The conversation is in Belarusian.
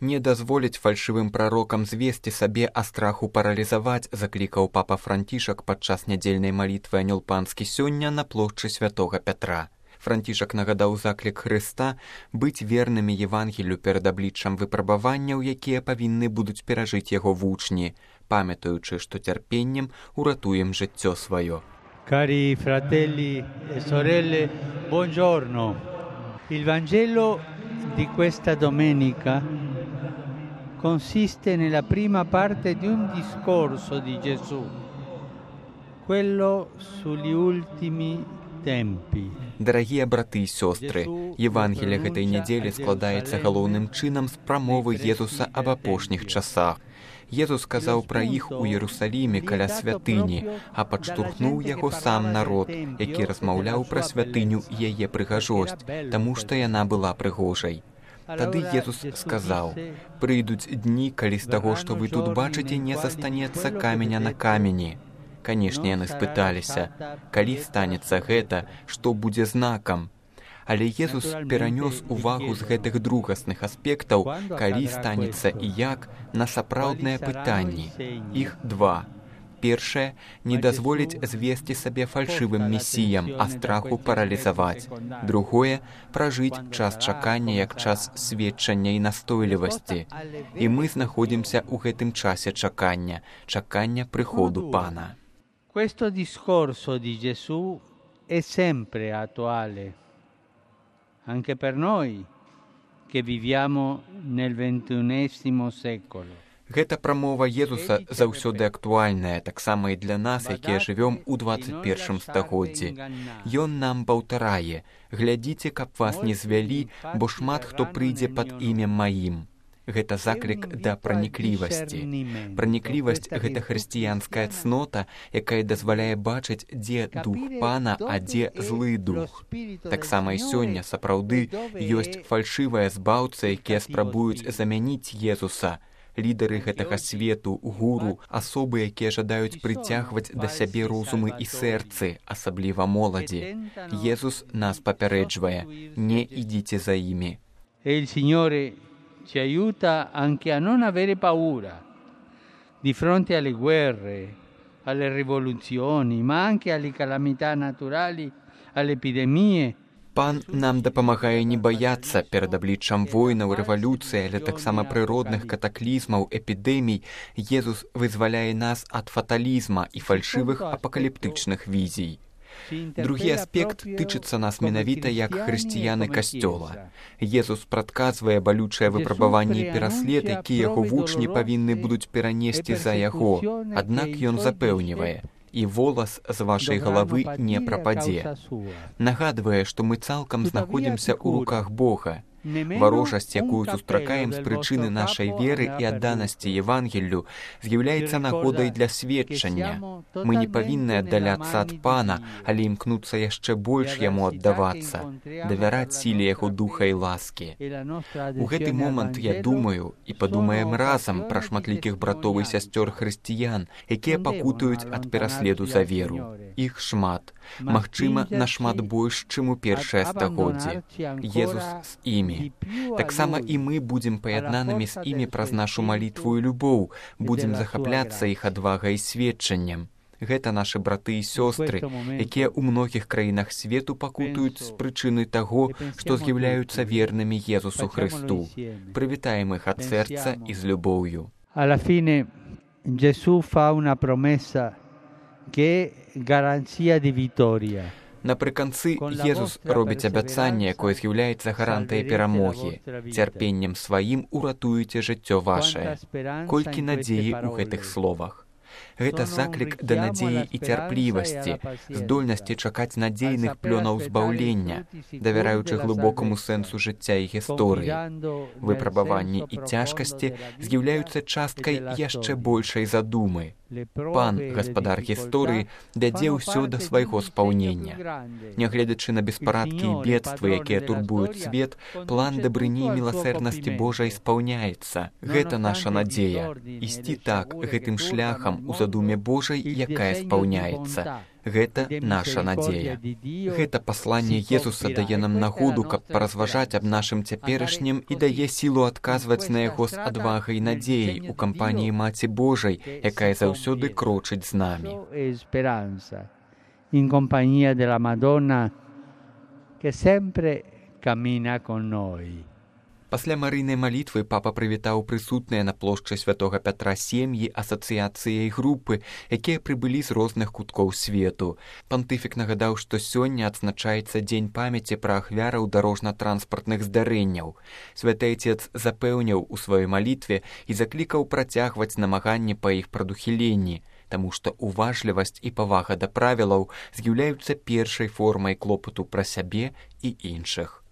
Не дазволіць фальшывым прарокам звесці сабе, а страху паралізаваць, заклікаў папа Францішак падчас нядзельнай малітвы Анёл Панскі сёння на плошчы святога Пятра. Францішак нагадаў заклік Хрыста быць вернымі Евангелію перад абліччам выпрабаванняў, якія павінны будуць перажыць яго вучні, памятаючы, што цярпеннем уратуем жыццё сваё. Cari fratelli e sorelle, buongiorno. Il Vangelo di questa domenica consiste nella prima parte di un discorso di Gesù, quello sugli ultimi tempi. Дарагія браты і сёстры, Евангелие гэтай нядзелі складаецца галоўным чынам з прамовы Езуса аб апошніх часах. Езус сказаў пра іх у Іерусаліме каля святыні, а падштурхнуў яго сам народ, які размаўляў пра святыню і яе прыгажосць, таму што яна была прыгожай. Тады Езус сказаў: «Прыйдуць дні, калі з таго, што вы тут бачыце, не застанецца каменя на камені». Канешне, яны спыталіся: «Калі станецца гэта, што будзе знакам?» Але Езус перанёс увагу з гэтых другасных аспектаў, калі станецца і як, на сапраўдныя пытанні. Іх два. Першае – не дазволіць звесці сабе фальшывым месіям, а страху паралізаваць. Другое – пражыць час чакання як час сведчання і настойлівасці. І мы знаходзімся ў гэтым часе чакання прыходу Пана. Questo discorso di Gesù è sempre attuale, anche per noi che viviamo nel XXI secolo. Гэта прамова Езуса заўсёды актуальная, таксама і для нас, якія жывём у 21 стагоддзі. Ён нам паўтарае: «Глядзіце, каб вас не звялі, бо шмат хто прыйдзе пад імем маім». Гэта заклік да праніклівасці. Праніклівасць – гэта хрысціянская цнота, якая дазваляе бачыць, дзе дух Пана, а дзе злы дух. Таксама і сёння сапраўды ёсць фальшывыя збаўцы, якія спрабуюць замяніць Езуса. Лідары гэтага свету, гуру, асобы, якія жадаюць прыцягваць да сябе розумы і сэрцы, асабліва моладзі. Езус нас папярэджвае: не ідзіце за імі. Il Signore ci aiuta anche a non avere paura di fronte alle guerre, alle rivoluzioni, ma anche alle calamità naturali, alle epidemie. Пан нам дапамагае не баяцца перад абліччам войнаў, рэвалюцыі, але таксама прыродных катаклізмаў, эпідэмій. Езус вызваляе нас ад фаталізма і фальшывых апакаліптычных візій. Другі аспект тычыцца нас менавіта як хрысціяны касцёла. Езус прадказвае балючае выпрабаванне і пераслед, які яго вучні павінны будуць перанесці за яго. Аднак ён запэўнівае: «І волас з вашай галавы не прападзе». Нагадвае, што мы цалкам знаходзімся ў руках Бога. Варожасць, якую сустракаем з прычыны нашай веры і адданасці Евангеллю, з'яўляецца нагодай для сведчання. Мы не павінны аддаляцца ад Пана, але імкнуцца яшчэ больш яму аддавацца, давяраць сіле яго духа і ласкі. У гэты момант я думаю і падумаем разам пра шматлікіх братоў і сясцёр хрысціян, якія пакутуюць ад пераследу за веру. Іх шмат, магчыма, нашмат больш, чым у першае стагоддзе. Езус з імі. Таксама і мы будзем паяднанымі з імі праз нашу малітву і любоў, будзем захапляцца іх адвагай і сведчаннем. Гэта нашы браты і сёстры, якія ў многіх краінах свету пакутуюць з прычыны таго, што з'яўляюцца вернымі Езусу Хрысту. Прывітаем іх ад сэрца і з любоўю. Alla fine Gesù fa una promessa che è garanzia di vittoria. Напрыканцы Езус робіць абяцанне, якое з'яўляецца гарантыяй перамогі. Цярпеннем сваім уратуеце жыццё вашае. Колькі надзеі ў гэтых словах. Гэта заклік да надзеі і цярплівасці, здольнасці чакаць надзейных плёнаў збаўлення, давяраючы глыбокаму сэнсу жыцця і гісторыі. Выпрабаванні і цяжкасці з'яўляюцца часткай яшчэ большай задумы. Пан, гаспадар гісторыі, вядзе ўсё да свайго спаўнення. Нягледзячы на беспарадкі і бедствы, якія турбуюць свет, план дабрыні і міласэрнасці Божай спаўняецца. Гэта наша надзея. Ісці так, гэтым шляхам у задуме Божай, якая спаўняецца. Гэта наша надзея. Гэта пасланне Езуса дае нам нагоду, каб паразважаць аб нашым цяперашнім і дае сілу адказваць на яго з адвагай і надзеяй у кампаніі Маці Божай, якая заўсёды крочыць з намі. In compagnia della Madonna che sempre cammina con noi. Пасля марыйнай малітвы папа прывітаў прысутныя на плошчы святога Пятра сем'і, асацыяцыі і групы, якія прыбылі з розных куткоў свету. Пантыфік нагадаў, што сёння адзначаецца дзень памяці пра ахвяраў дарожна-транспартных здарэнняў. Святы Отец запэўніў у сваёй малітве і заклікаў працягваць намаганні па іх прадухіленні, таму што уважлівасць і павага да правілаў з'яўляюцца першай формай клопату пра сябе і іншых.